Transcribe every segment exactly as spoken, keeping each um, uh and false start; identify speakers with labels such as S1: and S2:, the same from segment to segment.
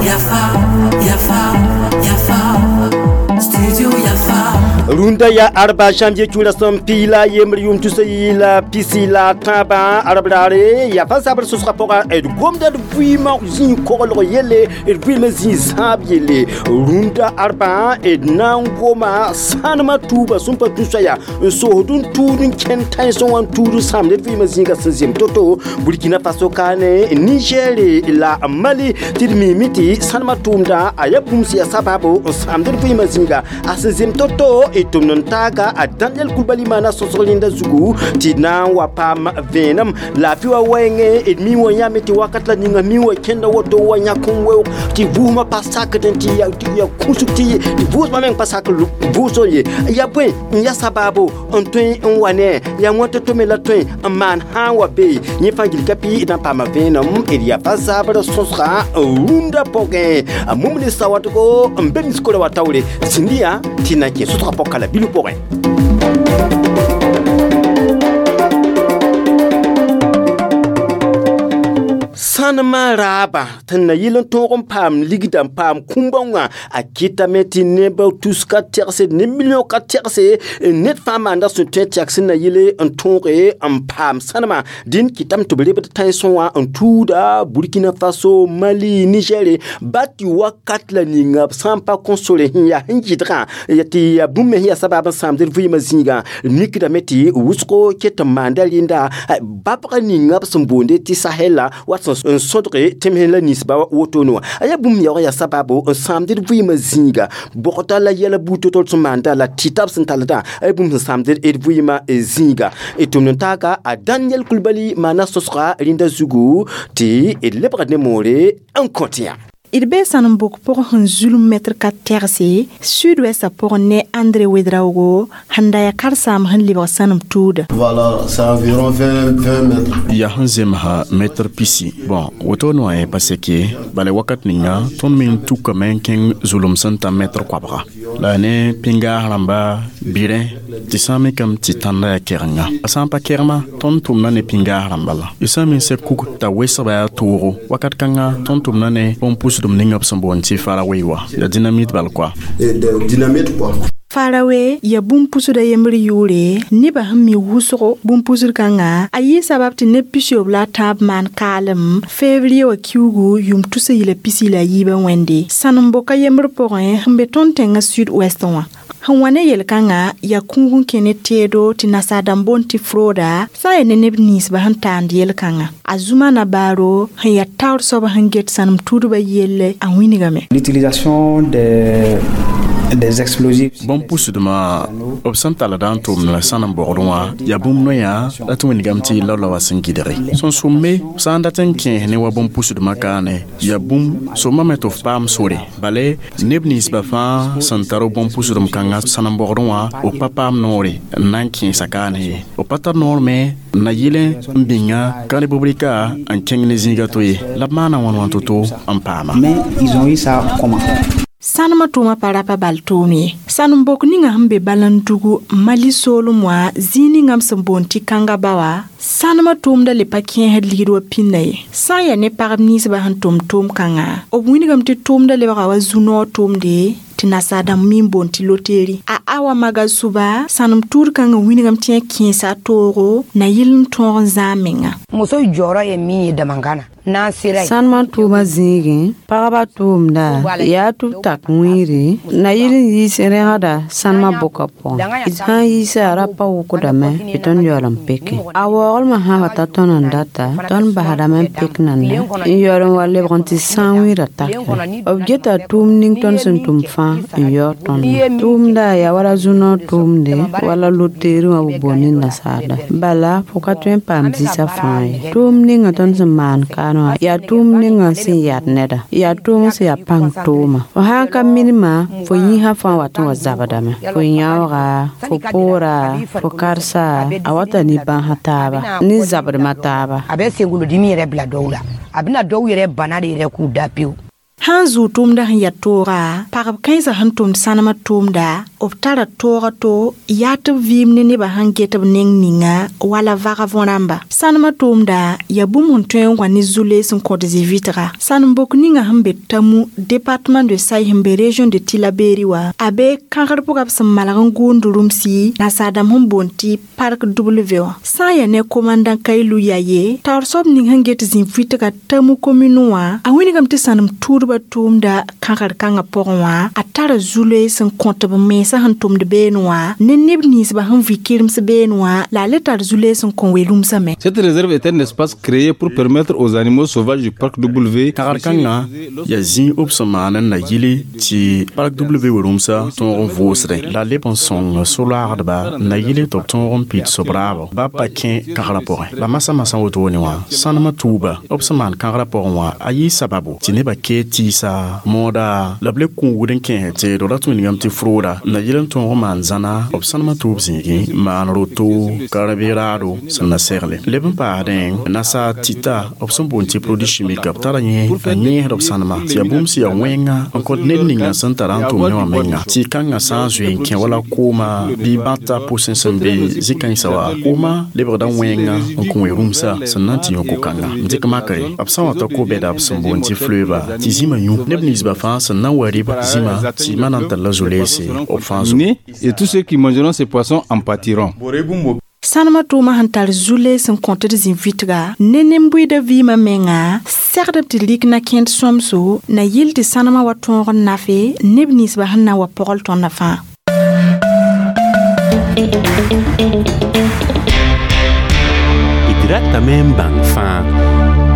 S1: Yafa, Yafa, Yafa, Studio Yafa.
S2: Runda ya arba janvier chula som pila yemri yum tusa ila pisi la taba arabrare ya fa sabr susra pora et gomda de buima zin kogol yele et buima zin zab yele runda arba et nangoma sanma tuba sumpa tusa ya so hodun tudun ken tan so wan tudu sam de buima zin ga sinzim toto Burkina Faso kane Niger la Mali tirmi miti sanma tumda ayabum siya sababu sam de buima zin ga asinzim toto et tum taga a Daniel Coulibaly mana sosolinda zugu ti na wa pam venam la fi wa wenge et mi wa yame ti wakat la ninga mi wa kenda woto wa nyakun we ti vuma pasak den ti ya ti ya kusu ti ti vuma men pasak vuso ye ya bwen ya sababu on tun n wane ya ngoto to me la tun man ha wa be ni fangil kapi dan pam venam et ya fa zabra sosra runda poge mumni sawatko mbemi skola wa tawle sindia tina ke sotra pokala bilu porin. Sanma raba tẽn na yɩl n tõog n paam ligda n paam kũmbã wã a kɩtame tɩ neb tus ka tɛgse ne million ka tɛgse ned fãa maanda sẽn tõe tɩ yak sẽn na yɩle n tõoge n paam sãnema dĩn kɩtame tɩ b lebd tãensẽ wã n tuuda Burkina Faso, Mali, Niger ba tɩ wakat la ninga b sã n pa kõ sore sẽn yaa sẽn gɩdgã tɩ yaa bũmb me sẽn yaa sabab n sãamd d vɩɩmã zĩigã mikdame tɩ wʋsgo ket n maanda rẽnda babga ninga b sẽn boonde tɩ Sahel la wat sẽn n sõdge tẽms la ninsba woto no a yaa bũmb yaoog yaa sababu n sãamd d vɩɩmã zĩiga bogda la yɛla buud to-tol sẽn maanda la tɩta b sẽn talda a yaa bũmb sẽn sãamd d vɩɩmã zĩiga d tʋmd n taaga a Daniel Coulibaly maana sõsga rẽnda zugu tɩ d lebgd ne moore n kõt yã.
S3: D bee sãnem-bok pʋgẽ sẽn zulm mɛtr ka tɛgse sud-wɛsã pʋgẽ ne André Ouedraogo sẽn da yaa karen-saamb sẽn lebg sãnem tuuda.
S4: Voilà, c'est environ vingt, vingt mètres.
S5: Ya sẽn zemsa mɛtr pisi. Bon, woto wã pa seke, bala wakat ninga tõnd meng tukame n kẽng zulem sẽn ta mɛtr koabga. La ne pĩngaas rãmba birẽ tɩ sã n mikame tɩ tãnda yaa kɛgenga. A sã n pa kɛgma, tõnd tʋmda ne pĩngaas rãmba la. Y sã n min sɛ kug t'a wesgba yaa toogo. Wakat kãnga tõnd tʋmda ne bõn-pʋsdem ninga b sẽn boond tɩ farawe wa. La dynamite bal quoi.
S4: Dynamite quoi.
S3: Farawe ya bũmb-pusda yembr yʋʋre nebã sẽn mi wʋsgo bũmb-pusd kãnga a yɩ sabab tɩ neb pisob la a tãab maan kaalem février wã kiugu yʋm tusa yɩla pisi la a yiibã wẽnde sãnem-boka yembr pʋgẽ sẽn be tõnd tẽngã sud-ouest wã sẽn wa ne yel-kãngã yaa kũug n kẽ ne teedo tɩ nasaar-dãmb boond tɩ frooda sã n yaa ne neb ninsba sẽn taand yel-kãngã a Zumana Baaro sẽn yaa taoor soab sẽn get sãnem tuudbã yelle a wĩnigame.
S6: L'utilisation des des explosifs.
S5: Bõn-pʋsdmã b sẽn talda n tʋmd la sãnem bogdẽ wã yaa bũmb noyã la tɩ wĩnigame tɩ yella wa sẽn gɩdge sẽn sʋmme sã n dat n kẽes ne wa bõn-pʋsdmã kaane yaa bũmb sõmame tɩ f paam sore bale neb ninsbã fãa sẽn tar bõn-pʋsdem kãngã sãnem bogdẽ wã b pa paam noore n na n kẽesa kaane ye b pa tar noor me n na yɩl n bĩnga ka republika n kẽng ne zĩiga to ye la b maana wãn wãn to-to n paama.
S6: Mais ils ont eu ça comment?
S3: Sãnemã tʋʋmã pa rapa bal tʋʋm ye sãnem-bok ninga sẽn be Balandugu Mali soolem wã zĩig ninga b sẽn boond tɩ kãnga ba wã sãnemã tʋʋmda le pa kẽesd ligd wa pĩnda ye sã n yaa ne pagb ninsbã sẽn tʋm tʋʋm-kãngã b wĩnigame tɩ tʋʋmda lebga wa zu-noog tʋʋmde tɩ nasaar-dãmb mi n boond tɩ loteri a Awa Magasuba sãnem tuud kãngã wĩnigame tɩ yã kẽesa a toogo na yɩl n tõog n zãag menga.
S7: Muso jɔyɔrɔ ye min ye damankan na n'an sera yen.
S8: Sãnemã tʋʋmã zĩigẽ pagba tʋʋmda yaa tɩ b tak wĩiri na yɩl n yiis rẽgda sãnemã bʋka pʋgẽ d sã n yiisa ra pa wʋkdame tɩ tõnd yaool n peke a waoolmã sã wa ta tõnd n data tõnd basdame n pek nanda n yaool n wa lebg n tɩ sã wĩirã takre b geta tʋʋm ning tõnd sẽn tʋm fãa n yaoog tõndã tʋʋmda yaa wala zu-noog tʋʋmde wala loteeri wã b boond ne nasaarda bala fo ka tõe n paam zĩsã fãa ye tʋʋm ninga tõnd sẽn maan kaan wã yaa tʋʋm ninga sẽn yad neda yaa tʋʋm sẽn yaa pãng tʋʋma fo sã n ka minimã fo yĩsã fãa wat n wa zabdame fo yãooga fo pʋʋra fo karsa a wata ne bãnsã taaba ne zabdmã taaba
S7: a bɛ senkolodimi yɛrɛ bila dɔw la a bɛna dɔw yɛrɛ bana de yɛrɛ k'u da pewu.
S3: Sãn zʋʋ tʋʋmdã sẽn yaa tooga, pagb kãensã sẽn tʋmd sãnemã tʋʋmda, b tara tooga to yaa tɩ b vɩɩm ne nebã sẽn get b neng ninga wala vaga võrãmba. Sãnemã tʋʋmda yaa bũmb sẽn tõe n wa ne zu-loees n kõt zĩ-vɩtga. Sãnem-bok ninga sẽn be Tamu, département de Say sẽn be région de Tillabéri wã, a be kãgr pʋga b sẽn malg n gʋʋnd rũmsi nasaar-dãmb sẽn boond tɩ Parc W wã. Sã n yaa ne commandant Kailu Yaye, taoor soab ning sẽn get zĩ-vɩtga Tamu commune wã, a wilgame tɩ sãnem tuudbã tʋʋmda kãgr kãngã pʋgẽ wã, a tara zu-loees n kõt b mensã sẽn tʋmd beene wã, ne neb ninsbã sẽn vɩ kɩrems beene wã, la a le tar zu-loees n kõ we-rũmsã me.
S9: Cette réserve est un espace créé pour permettre aux animaux sauvages du parc W
S5: Kãgr kãngã yaa zĩig b sẽn maan n na yɩle tɩ Parc W we-rũmsã tõog n vʋʋsdẽ la a leb n sõng so-loagdba n na yɩle tɩ b tõog n pid sob-raabo ba pa kẽ kãgrã pʋgẽ. La masã masã wotone wã, sãnemã tuuba b sẽn maan kãgrã pʋgẽ wã a yɩ sababu tɩ nebã kee tɩɩsa mooda la b le kũugd n kẽes teedo ra tũ ningame tɩ frooda n na yɩl n tõog n maan zãna b sãnemã tuub zĩigẽ maan roto karb-raado sẽn na segle. Leb n paasdẽ nasaar tɩta b sẽn boond tɩ produit chimique b tara yẽ a yẽesd b sãnemã tɩ yaa bũmb sẽn yaa wẽnga n kõt ned ninga sẽn tara n tʋm ne wã menga tɩ kãngã sã n zoe n kẽ wala kooma bɩ bãta pʋsẽ sẽn be zĩ-kãensã wa kooma lebgda wẽnga n kõ we-rũmsã sẽn na n tɩ yõ ko-kãnga. N dɩk makre b sã n wa ta ko-bɛda b sẽn boond tɩ fleuve tɩ zĩmã yũ neb ninsbã fãa sẽn na n wa rɩb zĩma tɩ ma na n talla zo-leese b fãa zo.
S9: Et tous ceux qui mangeront ces poissons en pâtiront.
S3: Sãnemã tʋʋmã sẽn tar zu-loees n kõtd zĩ-vɩtga ne nin-bʋɩda vɩɩmã menga, segdb tɩ lik na kẽnd sõmso na yɩl tɩ sãnemã wa tõog n nafe neb ninsbã sẽn na n wa pɔgl tõndã fãa.
S10: D ratame n bãng fãa.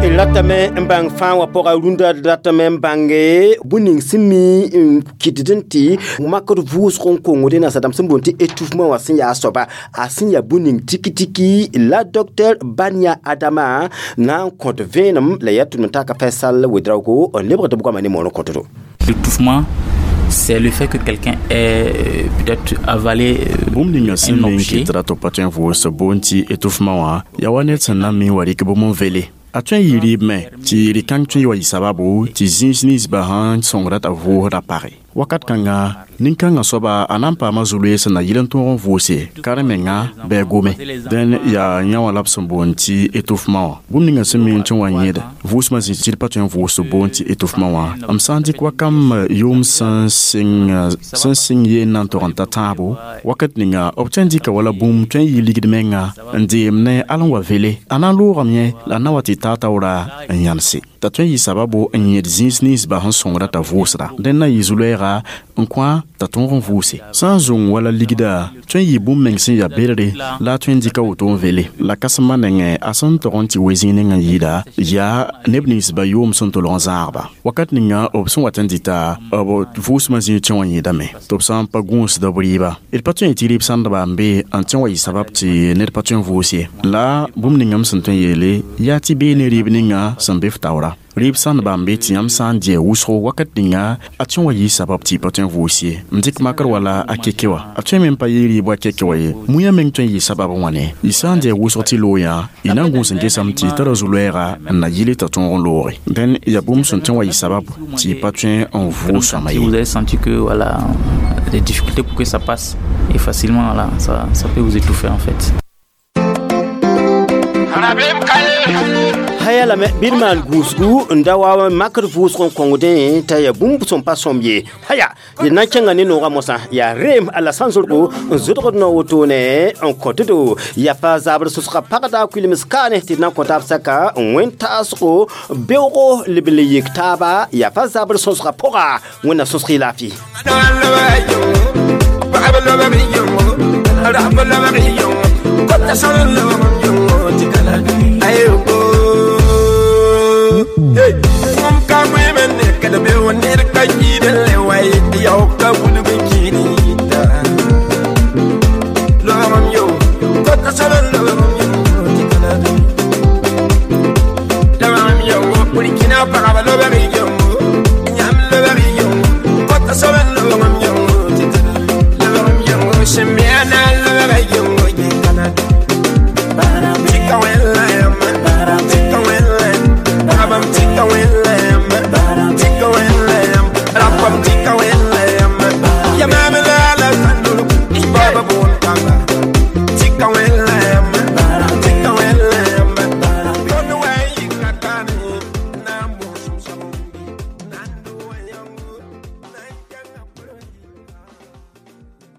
S2: D ratame n bãng fãa wã pʋga rũndã d ratame n bãnge bũmb ning sẽn mi n kɩtd n tɩ makd vʋʋsg n kongde nasadãmb sẽn boond tɩ étouffement wã sẽn yaa a soaba a sẽn yaa bũmb ning tiki-tiki la docteur Bania Adama na n kõt vẽenem la yaa tʋm n taka Faisal Ouedraogo n lebgd b goamã ne moon n kõtdo.
S11: L'étouffement, c'est le fait que quelqu'un ait peut-être avalé
S5: bũmb ninga sẽn
S11: un
S5: me n
S11: objet.
S5: kɩtda tɩ b pa tõe n vʋʋs boond tɩ étouffement wã yaa wa ned sẽn na n mi n wa rɩk bũmb n vele. A tõe n yɩ rɩɩb me tɩ rɩ-kãng tõe n wa yɩ sababu tɩ zĩis ninsbã sãn sõngra t'a vʋʋsda page. Wakat kãnga nin-kãngã soaba a na n paama zu-loees n na yɩl n tõog n vʋʋse karen-menga bɩ a gome. Dẽn yaa yã wã la b sẽn boond tɩ étouffement wã. Bũmb ninga sẽn mi n tõe n wa yẽed vʋʋsmã zĩ tɩ d pa tõe n vʋʋs boond tɩ étouffement wã. M sã n dɩk wakam yʋʋm sẽn sɩng sẽn sɩng yeen na n tog n ta tãabo, wakat ninga b tõe n dɩka wala bũmb tõe n yɩ ligd menga n deem ne al n wa vele. A na n loogame yẽ la a na wa tɩ taa taoora n yãnse. T'a tõe n yɩ sababu n yẽd zĩis ninsbã sẽn sõngra t'a vʋʋsda. Dẽn na n yɩ zu-loɛɛga n kõ t'a tõog n vʋʋse. Sã n zũng wala ligda tõe n yɩ bũmb meng sẽn yaa bedre la a tõe n dɩka woto n vele. La kãsembã nengẽ a sẽn tog n tɩ we zĩig nengã yɩɩda yaa neb ninsbã yʋʋm sẽn tolg n zãagba. Wakat ninga b sẽn wat n dɩta b vʋʋsmã zĩig tõe wã yẽedame tɩ b sã n pa gũusda b rɩɩba. D pa tõe n tɩ rɩɩb sãndba n be n tõe n wa yɩ sabab tɩ ned pa tõe n vʋʋs ye. La bũmb ninga m sẽn tõe n yeele yaa tɩ bee ne rɩɩb ninga sẽn be f taoora. Rɩɩb sãndba n be tɩ yãmb sã n dɩ wʋsgo wakat ninga a tõe n wa yɩ sabab tɩ y pa tõe n vʋʋs ye. N dɩk makr wala a keke wã. A tõe me n pa yɩ rɩɩb wa keke wã ye. Mũyã meng tõe n yɩ sabab n wãne. Y sã n dɩ wʋsg tɩ loog yã, y na n gũus n gesame tɩ y tara zu-loɛɛga n na yɩle t'a tõog n looge. Dẽn yaa bũmb sẽn tõe n wa yɩ sabab tɩ y pa tõe n vʋʋs sõama
S11: Si
S5: ye.
S11: vous avez senti que voilà, des difficultés pour que ça passe et facilement, voilà, ça, ça peut vous étouffer en fait.
S2: Haya lame bɩ d maan gũusgu n da wa makr vʋʋsg n kõngdẽ t'a yaa bũmb sẽn pa sõm ye. Haya d na n kẽnga ne noogã mosã yaa reem a la sãn-zorgo n zʋdgd nao wotone n kõtdo yaa pa zabr sʋsga pagda kuilms kaane tɩ d na n kõ taab sɛka n wẽn-taasgo beoogo leb n le yik taaba yaa pa zabr sõsga pʋga wẽnna sõsg y laafɩ.
S12: Burkina